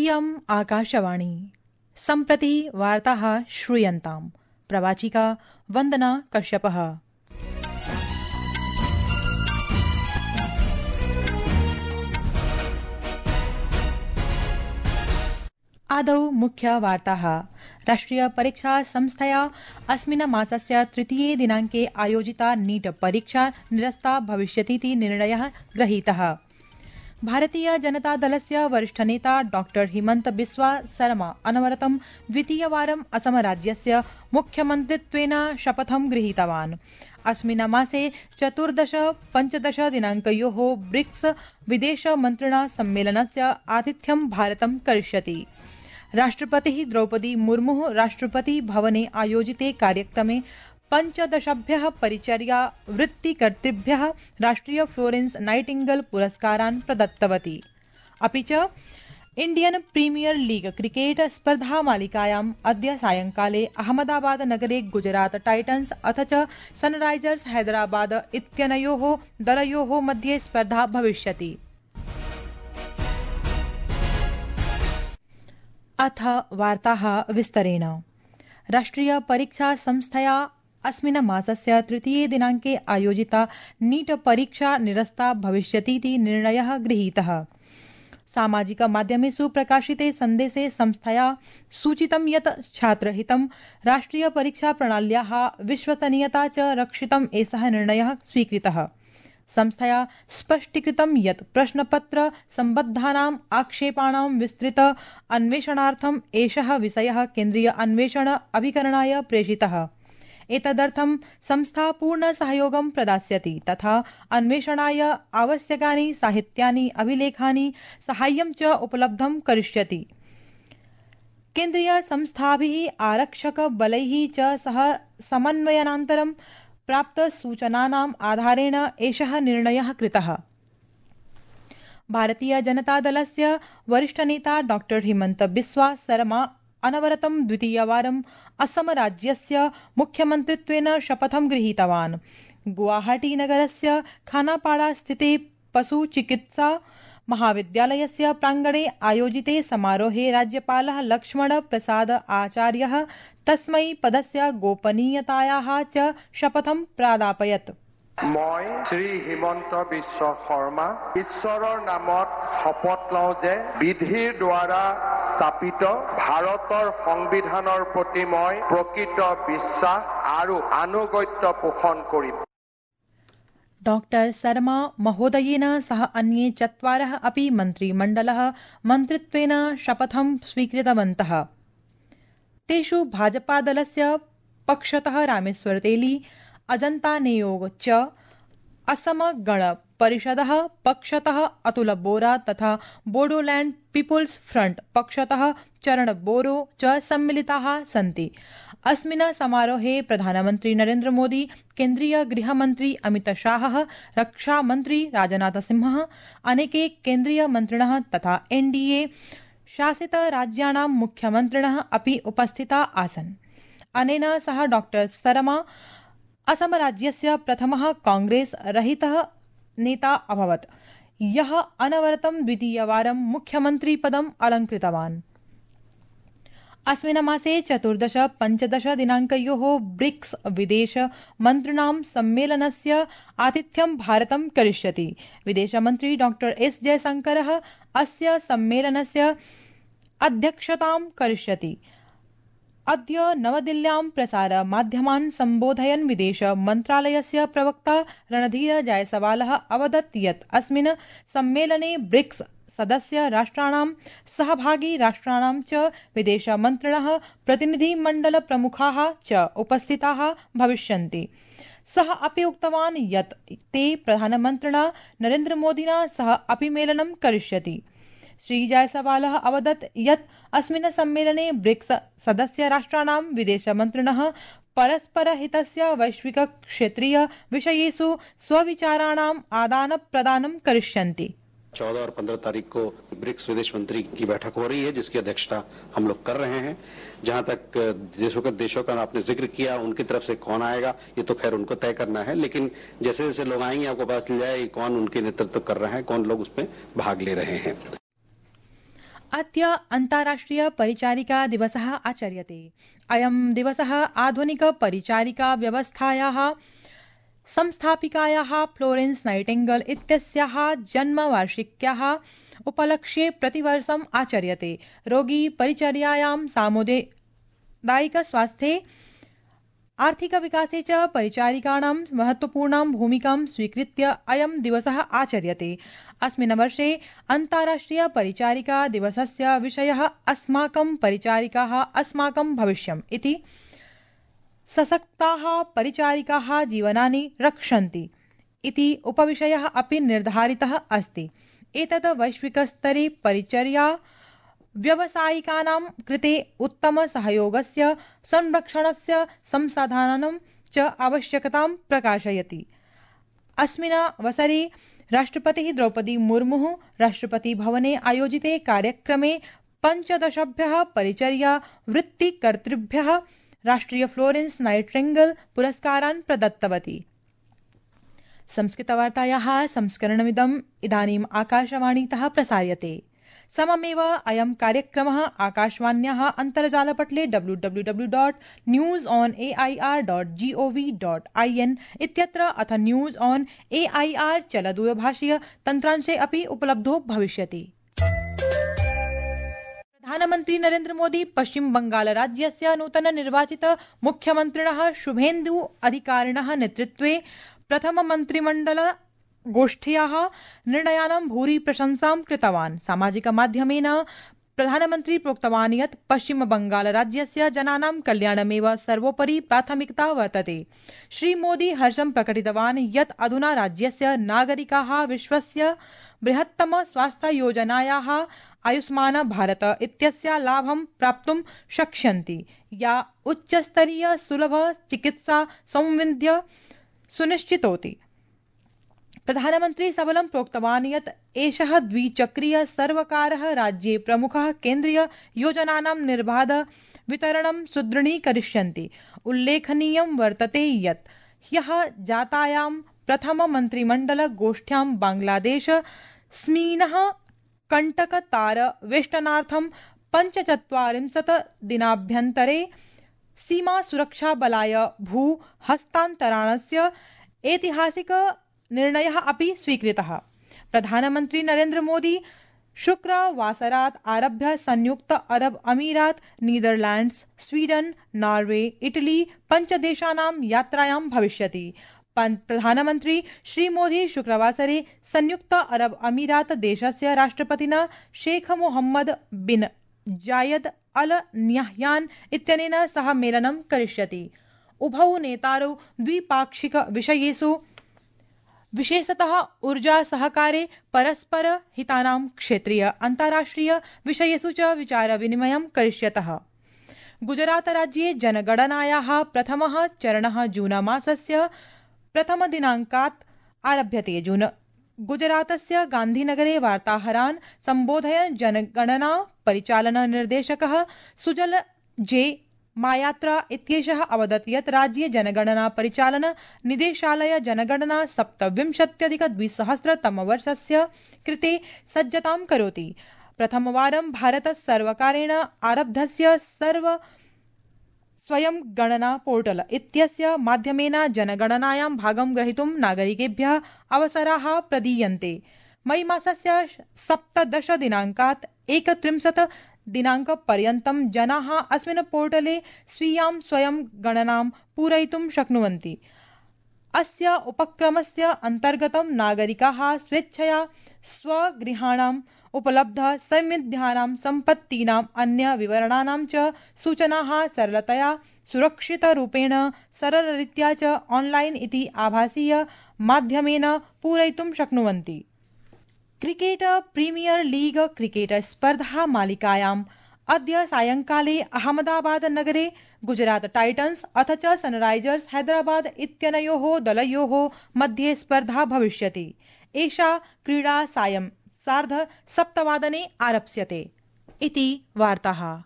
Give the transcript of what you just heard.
इयम् आकाशवाणी। सम्प्रति वार्ताः श्रूयन्ताम्। प्रवाचिका वन्दना कश्यपः। आदौ मुख्य वार्ताः। राष्ट्रिय परीक्षा संस्थया अस्मिन् मासस्य तृतीये दिनाङ्के आयोजिता नीट परीक्षा निरस्ता भविष्यतीति निर्णयः गृहीतः। भारतीय जनता दलस्य वरिष्ठ नेता डॉ हिमंत बिस्वा सरमा अनवरतं द्वितीयवारम् असम राज्यस्य मुख्यमन्त्रित्वेन शपथं गृहीतवान्। अस्मिन् मासे 14-15 दिनाङ्कयोः ब्रिक्स विदेशमन्त्रिणा सम्मेलनस्य आतिथ्यं भारतं करिष्यति। राष्ट्रपतिः द्रौपदी मुर्मुः राष्ट्रपति भवने आयोजिते कार्यक्रमे 15 परिचर्या वृत्तिकर्तृभ्यः राष्ट्रिय फ्लोरेंस नाइटिंगेल पुरस्कारान् प्रदत्तवती। अपि च इंडियन प्रीमियर लीग क्रिकेट स्पर्धा मालिकायाम् अद्य सायंकाले अहमदाबाद नगरे गुजरात टाइटन्स अथ च सनराइजर्स हैदराबाद इत्यनयोः दलयोः मध्ये स्पर्धा भविष्यति। अथ वार्ताः विस्तरेण। राष्ट्रिय परीक्षा संस्थया अस्मिन् मासस्य तृतीये दिनाङ्के आयोजिता नीट परीक्षा निरस्ता भविष्यतीति निर्णयः गृहीतः। सामाजिक माध्यमेषु प्रकाशिते सन्देशे संस्थया सूचितं यत् छात्रहितं राष्ट्रिय परीक्षा प्रणाल्याः विश्वसनीयता च रक्षितम् एषः निर्णयः स्वीकृतः। संस्थया स्पष्टीकृतं यत् प्रश्नपत्र सम्बद्धानाम् आक्षेपाणां विस्तृत अन्वेषणार्थम् एषः विषयः केन्द्रीय अन्वेषण अभिकरणाय प्रेषितः। एतदर्थं संस्था पूर्ण सहयोगं प्रदास्यति तथा अन्वेषणाय आवश्यकानि साहित्यानि अभिलेखानि साहाय्यं च उपलब्धं करिष्यति। केन्द्रीय संस्थाभिः आरक्षक बलैः च सह समन्वयनान्तरं प्राप्त सूचनानाम् आधारेण एषः निर्णयः कृतः। भारतीय जनता दलस्य वरिष्ठ नेता डॉ हिमंत बिस्वा सरमा अनवरतं द्वितीयवारम् असम राज्यस्य मुख्यमन्त्रित्वेन शपथं गृहीतवान्। गुवाहाटी नगरस्य खानापाड़ा स्थिते पशु चिकित्सा महाविद्यालयस्य प्राङ्गणे आयोजिते समारोहे राज्यपालः लक्ष्मण प्रसाद आचार्यः तस्मै पदस्य गोपनीयतायाः च शपथं प्रादापयत्। মই শ্ৰী হিমন্ত বিশ্ব শৰ্মা ঈশ্বৰৰ নামত শপত লওঁ যে বিধিৰ দ্বাৰা স্থাপিত ভাৰতৰ সংবিধানৰ প্ৰতি মই প্ৰকৃত বিশ্বাস আৰু আনুগত্য পোষণ কৰিম। डॉक्टर शर्मा महोदयेन सह अन्ये 4 अपि मन्त्रिमण्डलः मन्त्रित्वेन शपथं स्वीकृतवन्तः। तेषु भाजपादलस्य पक्षतः रामेश्वर तेली, अजंता नेयोग च, असम गण परिषदः पक्षतः अतुल बोरा तथा बोडोलैंड पीपुल्स फ्रंट पक्षतः चरण बोरो च सम्मिलिताः सन्ति। अस्मिन् समारोहे प्रधानमन्त्री नरेन्द्र मोदी, केन्द्रीय गृहमन्त्री अमित शाहः, रक्षामन्त्री राजनाथ सिंहः, अनेके केन्द्रीय मन्त्रिणः तथा एनडीए शासित राज्याणां मुख्यमन्त्रिणः अपि उपस्थिता आसन्। अनेन सह डॉक्टर शर्मा असम राज्यस्य प्रथमः कांग्रेस रहितः नेता अभवत्, यः अनवरतं द्वितीयवारं मुख्यमन्त्रिपदम् अलङ्कृतवान्। अस्मिन् मासे 14-15 दिनाङ्कयोः ब्रिक्स विदेश मन्त्रिणां सम्मेलनस्य आतिथ्यं भारतं करिष्यति। विदेशमन्त्री डॉ एस जयशंकरः अस्य सम्मेलनस्य अध्यक्षतां करिष्यति। अद्य नवदिल्ल्यां प्रसार माध्यमान् सम्बोधयन् विदेश मन्त्रालयस्य प्रवक्ता रणधीर जायसवालः अवदत् यत् अस्मिन् सम्मेलने ब्रिक्स सदस्य राष्ट्राणां सहभागी राष्ट्राणां च विदेशमन्त्रिणः प्रतिनिधिमण्डल प्रमुखाः च उपस्थिताः भविष्यन्ति। सः अपि उक्तवान् यत् ते प्रधानमन्त्रिणा नरेन्द्र मोदिना सह अपि मेलनं करिष्यति। श्री जायसवालः अवदत् यत् अस्मिन् सम्मेलने ब्रिक्स सदस्य राष्ट्राणां विदेशमन्त्रिणः परस्परहितस्य वैश्विक क्षेत्रीय विषयेषु स्वविचाराणाम् आदान प्रदानं करिष्यन्ति। 14 और 15 तारीख को ब्रिक्स विदेश मंत्री की बैठक हो रही है, जिसकी अध्यक्षता हम लोग कर रहे हैं। जहां तक देशों का आपने जिक्र किया, उनकी तरफ से कौन आएगा ये तो खैर उनको तय करना है, लेकिन जैसे जैसे लोग आएंगे आपको पता चल जाए कौन उनके नेतृत्व कर रहे हैं, कौन लोग उसमें भाग ले रहे हैं। अद्य अन्ताराष्ट्रिय परिचारिका दिवसः आचर्यते। अयं दिवसः आधुनिक परिचारिका व्यवस्थायाः संस्थापिकायाः फ्लोरेन्स नाइटिंगेल इत्यस्याः जन्मवार्षिक्याः उपलक्ष्ये प्रतिवर्षम् आचर्यते। रोगी परिचर्यायां सामुदायिक स्वास्थ्ये आर्थिक विकासे च परिचारिकाणां महत्वपूर्णां भूमिकां स्वीकृत्य अयं दिवसः आचर्यते। अस्मिन् वर्षे अन्ताराष्ट्रिय परिचारिका दिवसस्य विषयः अस्माकं परिचारिकाः अस्माकं भविष्यम् इति। सशक्ताः परिचारिकाः जीवनानि रक्षन्ति इति उपविषयः अपि निर्धारितः अस्ति। एतत् वैश्विकस्तरे परिचर्या व्यावसायिकानां कृते उत्तमसहयोगस्य संरक्षणस्य संसाधनानां च आवश्यकतां प्रकाशयति। अस्मिन् अवसरे राष्ट्रपतिः द्रौपदी मुर्मुः राष्ट्रपतिभवने आयोजिते कार्यक्रमे 15 परिचर्या वृत्तिकर्तृभ्यः राष्ट्रिय फ्लोरेन्स नाइटिंगेल पुरस्कारान् प्रदत्तवती। संस्कृतवार्तायाः संस्करणमिदम् इदानीम् आकाशवाणीतः प्रसार्यते। सममेव अयं कार्यक्रमः आकाशवाण्याः अन्तर्जालपटले www.newsonair.gov.in इत्यत्र अथ न्यूज ऑन एआईआर चलदूरभाषीय तन्त्रांशे अपि उपलब्धो भविष्यति। प्रधानमन्त्री नरेन्द्र मोदी पश्चिम बंगाल राज्यस्य नूतन निर्वाचित मुख्यमन्त्रिणः शुभेन्दु अधिकारिणः नेतृत्वे प्रथम मन्त्रिमण्डल गोष्ठ्याः निर्णयानां भूरि प्रशंसां कृतवान्। सामाजिक माध्यमेन प्रधानमन्त्री प्रोक्तवान् यत् पश्चिम बंगाल राज्यस्य जनानां कल्याणमेव सर्वोपरि प्राथमिकता वर्तते। श्रीमोदी हर्षं प्रकटितवान् यत् अधुना राज्यस्य नागरिकाः विश्वस्य बृहत्तम स्वास्थ्य योजनायाः आयुष्मान भारत इत्यस्य लाभं प्राप्तुं शक्ष्यन्ति, या उच्चस्तरीय सुलभ चिकित्सा सौविध्य सुनिश्चितोति। प्रधानमन्त्री सबलं प्रोक्तवान् यत् एषः द्विचक्रीय सर्वकारः राज्ये प्रमुखः केन्द्रीय योजनानां निर्बाध वितरणं सुदृढीकरिष्यन्ति। उल्लेखनीयं वर्तते यत् ह्यः जातायां प्रथम मन्त्रिमण्डल गोष्ठ्यां बांग्लादेश स्मीनः कण्टकतार वेष्टनार्थं 45 दिनाभ्यन्तरे सीमा सुरक्षा बलाय भू हस्तान्तरणस्य ऐतिहासिक निर्णयः अपि स्वीकृतः। प्रधानमन्त्री नरेन्द्र मोदी शुक्रवासरात् आरभ्य संयुक्त अरब अमीरात, नीदरलैंड्स, स्वीडन, नॉर्वे, इटली 5 देशानां यात्रायां भविष्यति। प्रधानमन्त्री श्रीमोदी शुक्रवासरे संयुक्त अरब अमीरात देशस्य राष्ट्रपतिना शेख मोहम्मद बिन जायद अल न्याह्यान इत्यनेन सह मेलनं करिष्यति। उभौ नेतारौ द्विपाक्षिक विषयेषु विशेषतः ऊर्जा सहकारे परस्पर हितानां क्षेत्रीय अन्ताराष्ट्रिय विषयेषु च विचार विनिमयं करिष्यतः। गुजरात राज्ये जनगणनायाः प्रथमः चरणः जून मासस्य प्रथम दिनाङ्कात् आरभ्यते। गुजरातस्य गान्धीनगरे वार्ताहरान् सम्बोधयन् जनगणना परिचालन निर्देशकः सुजल जे मायात्रा इत्येषः अवदत् यत् राज्ये जनगणना परिचालन निदेशालय जनगणना 27-2000 कृते सज्जतां करोति। प्रथमवारं भारत सर्वकारेण आरब्धस्य स्वयं गणना पोर्टल इत्यस्य माध्यमेन जनगणनायां भागं ग्रहीतुं नागरिकेभ्यः अवसराः प्रदीयन्ते। मई मासस्य 17 दिनाङ्कात् 31 दिनाङ्कपर्यन्तं जनाः अस्मिन् पोर्टले स्वीयां स्वयं गणनां पूरयितुं शक्नुवन्ति। अस्य उपक्रमस्य अन्तर्गतं नागरिकाः स्वेच्छया स्वगृहाणाम् उपलब्ध सौविध्यानां सम्पत्तीनाम् अन्य विवरणानां च सूचनाः सरलतया सुरक्षितरूपेण सरलरीत्या च ऑनलाइन इति आभासीय माध्यमेन पूरयितुं शक्नुवन्ति। क्रिकेट प्रीमियर लीग क्रिकेट स्पर्धा मालिकायाम् अद्य सायंकाले अहमदाबाद नगरे गुजरात टाइटन्स अथ च सनराइजर्स हैदराबाद इत्यनयोः दलयोः मध्ये स्पर्धा भविष्यति। एषा क्रीडा सायं 7:30 आरप्स्यते इति वार्ताः।